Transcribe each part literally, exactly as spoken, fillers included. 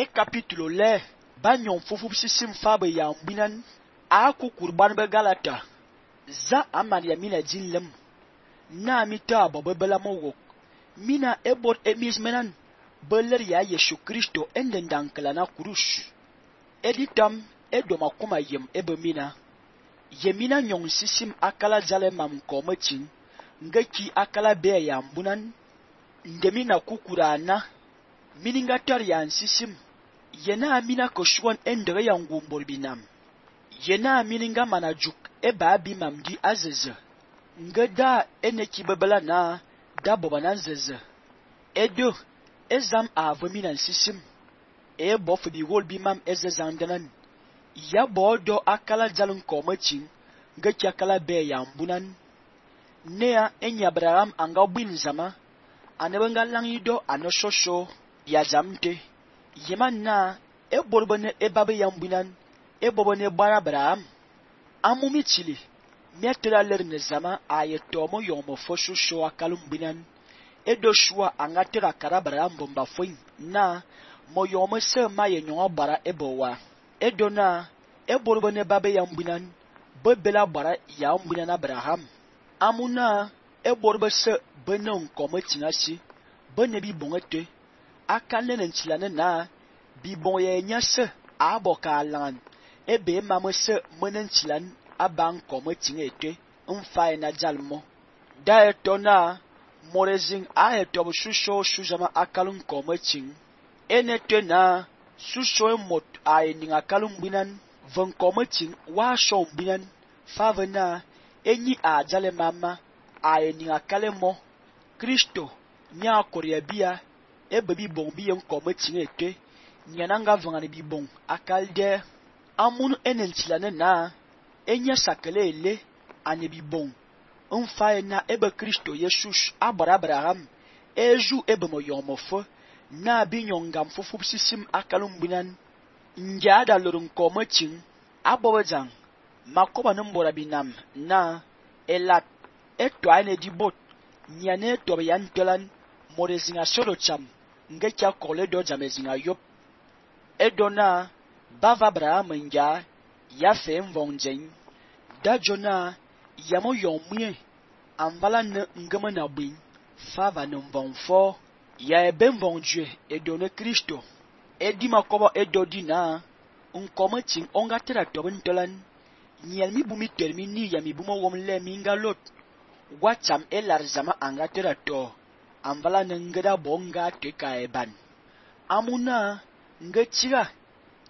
e capítulo le ba nyon fufu sisim fa be ya mbinan a ku kurban be galata za amani ya mina jinlem na mita bo be bela mo wok mina ebot emis menan beler ya Yesu Kristo enden dankala na kurush editam edoma kuma yem ebe mina yemina nyon sisim akala jale mam komachin ngeki akala be ya mbunan ndemina kukura na mininga tar ya sisim yena amina koshwon endere ya ngumbor binam yena mininga manajuk eba abi mamdi azeze ngeda eneki bebela na da boba zeze edo ezam avamina sisim e bof bi wol bi mam ezezandanan ya bodo akala jalun komachin ngeki akala be ya mbunan nea enya Abraham anga bin zama anebenga langido anoshosho ya zamte yeman na e borbone e babe ya mbunan e bobone bara Abraham amumi chili metra ler ne zama ayetomo yomo foshosho akalum binan e doshua anga tera kara Abraham bomba foin na moyomo se maye nyon bara ebowa e dona e borbone babe ya mbunan bebela bara ya mbunan Abraham amuna e borbe se benon kometinasi bene bi bongete akane nenchilane na bi bonye nyase aboka lan ebe mamese menenchilan aban kometinete mfae na jalmo da etona morezing a etob shusho shujama akalun kometin enete na shusho mot a ening akalun binan von kometin wa shon binan favena enyi a jale mama a ening akalemo Kristo nya korea bia ebe bi bon bi en kometin ete nyananga vangani bi bon akalde amun enentilane na enya sakele ele ane bi bon mfae na ebe Kristo Yesus abara Abraham eju ebe mo yomofo na bi nyongam fufu sisim akalum binan njada lorun kometin abowezang makoba nombora binam na elat eto ane di bot nyane to yan tolan morezinga solo cham ngecha kole do jamezinga yop edona bava Abraham nja ya fe mvonjen da jona yamo yomwe amvala ne ngama na bin fava ne mvonfo ya ebe mvonjue edone Kristo edi makoba edodi na unkometin onga tera tobin tolan nyel mi bumi termini ya mi bumo wom le minga lot wacham elar zama anga tera to amvala ne ngeda bonga teka eban amuna ngechira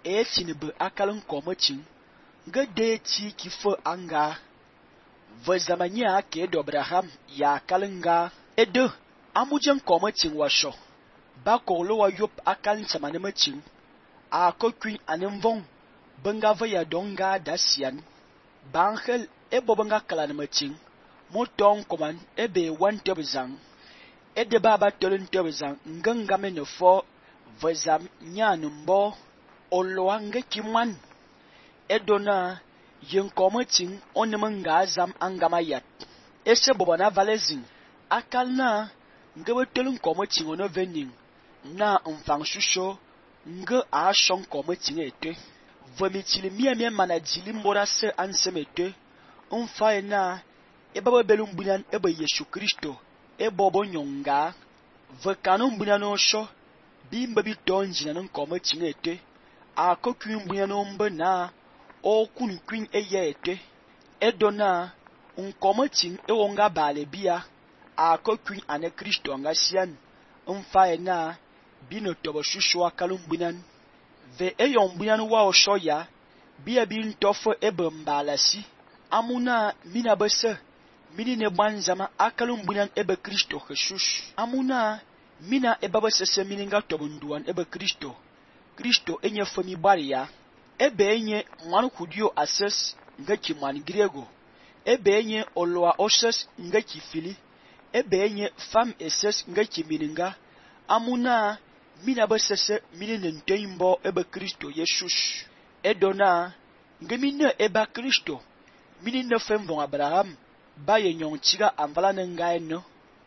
e tinebe akalun komachin ngede ti kifo anga vazamanya ke do Abraham ya kalunga edo amujen komachin washo ba ko lo wa yop akalin samane machin a kokwin anemvon banga vaya donga dasian banghel e bobanga kalana machin moton koman ebe wan tebzang ede baba tolun tebzang ngangame no fo vazam nyanumbo oloange kimwan edona yen kometin onemenga azam angamayat ese bobana valezin akalna ngebe telun kometin ono venin na mfang shusho nge a shon kometin ete vomitili miemie manajili mbora se ansemete mfae na ebaba belum bunan ebe Yesu Kristo ebobo nyonga vekanu bunano sho bimbe bi tonjina non kometin ete a kokwin bunyano mbe na o kun kwin eye ete edona unkometin ewonga bale bia a kokwin ane Kristo anga sian mfae na bino tobo shushwa kalum bunan ve eyon bunan wa o shoya bia bin tofo ebe mbalasi amuna mina bese mini ne banzama akalum bunan ebe Kristo Jesus amuna mina ebaba sese mininga tobo nduan ebe Kristo Kristo enye fomi baria ebe enye manu kudio ases ngeki man grego ebe enye oloa oses ngeki fili ebe enye fam eses ngeki mininga amuna mina basese minine nteimbo ebe Kristo Jesus edona ngemine eba Kristo minine femvon Abraham baye nyonchiga amvala nengaeno